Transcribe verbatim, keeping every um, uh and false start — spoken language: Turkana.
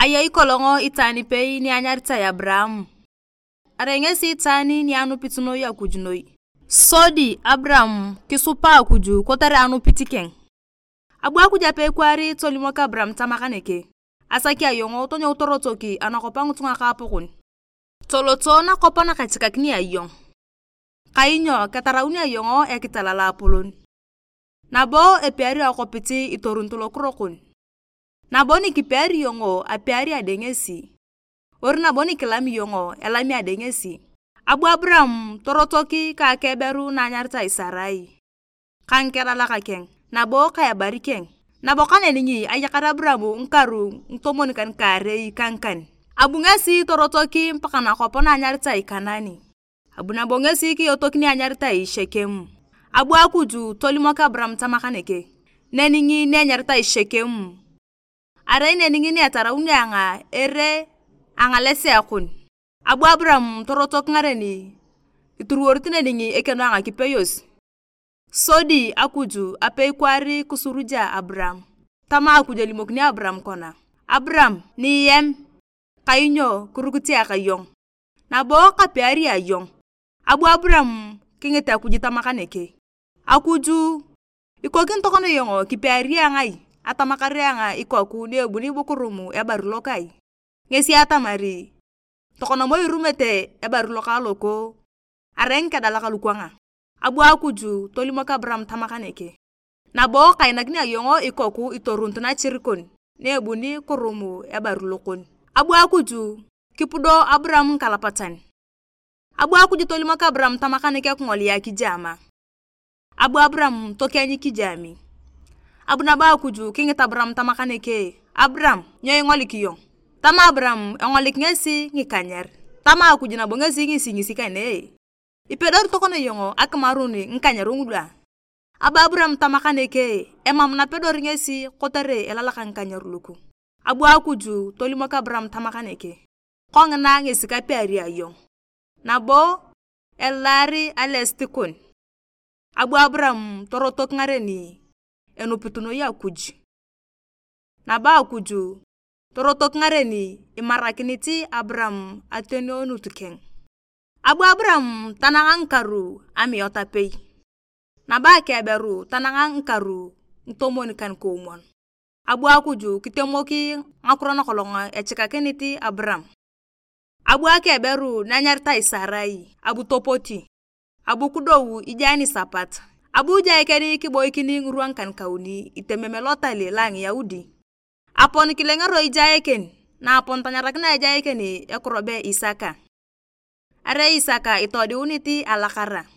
Ayei kolong itwaan ipei ni anyaritai Abraham. Arai ngesi itwaan ni anupit noi Akuj noi. Sodi Abraham kisupa Akuj kotere anupit keng. Abu Akuj apei kwaar tolimok Abraham tama kaneke, "Asaki ayong tonyou torotok anakwap a ngitunga ka apokon. Toloto nakwap nakachikakini ayong, kainyo ketarauni ayong ekital loapolon. Nabo epiari akwapit itorunit lokiro kon. Nabo nikipiari iyong, apiari ade ngesi, ori nabo nikilami iyong, elami ade ngesi." Abu Abraham torotok ka akeberu na anyaritai Sarai, ka ngikedalak keng, nabo ka ebari keng. Nabo kaneni ayakar Abraham ngikaru ngitomon kan kaarei ka ngikan. Abu ngesi torotok mpaka nakwap na anyaritai Kanani. Abu nabo ngesi kiyotok ni anyaritai Shekem. Abu Akuj tolimok Abraham tama kaneke, "Neni ngini enyaritai Shekem, arai neni ngini etarauni ayong ere angalesea kon." Abu Abraham torotok ngaren ituruworit neni ekeno a ngakipeyos. Sodi Akuj apei kwaar kisuruja Abraham. Tama Akuj elimokini Abraham kona, "Abraham, niyem, kainyo kirukit ayong, nabo kapiari ayong." Abu Abraham kingit Akuj tama kaneke, "Akuj, ikokini tokona iyong kipiari ayong ai? Atamakar ayong ikoku ni ebuni ibukurum ebaru lokai. Ngesi atamari, tokona moi irumete ebaru loka loko, arai ngikedalak lukwanga." Abu Akuj tolimok Abraham tama kaneke, "Nabo kainakini ayong ikoku itorunit nachir kon, na ebuni kurum ebaru lokon." Abu Akuj kipudo Abraham ngikalapatan. Abu Akuj tolimok Abraham tama kaneke kingolia kijaama. Abu Abraham tokieny kijaami. Abu nabo Akuj kingit Abraham tama kaneke, "Abraham, nyo ingolik iyong?" Tama Abraham engolik ngesi ngikanyer. Tama Akuj nabo ngesi ngisi ngisi kanee, "Ipedori tokona iyong akimarun ngikanyer ngulu a?" Abu Abraham tama kaneke, "Emam napedori ngesi kotere elalak ngikanyer luku." Abu Akuj tolimok Abraham tama kaneke, "Kongina ngesi kapiari ayong, nabo elaari alesit kon." Abu Abraham torotok ngareni enupit noi Akuj. Nabo Akuj torotok ngareni imarakinit Abraham atenenut keng. Abu Abraham tanang ngikaru amiot apei, nabo akeberu tanang ngikaru ngitomon kan koomwon. Abu Akuj kitemoki ngakiro nakolong echikakinit Abraham. Abu akeberu na enyaritai Sarai, abu topoti, abu kidou ijae nisapat. Abu ijae keng kiboikin ngirwa ngikan kauni itemem elotal lo a Ngiyaudi. Apon kilengero ijae keng, na apon tanyarakina ijae keng ekiro be Isaka. Arai Isaka itodiunit alakara,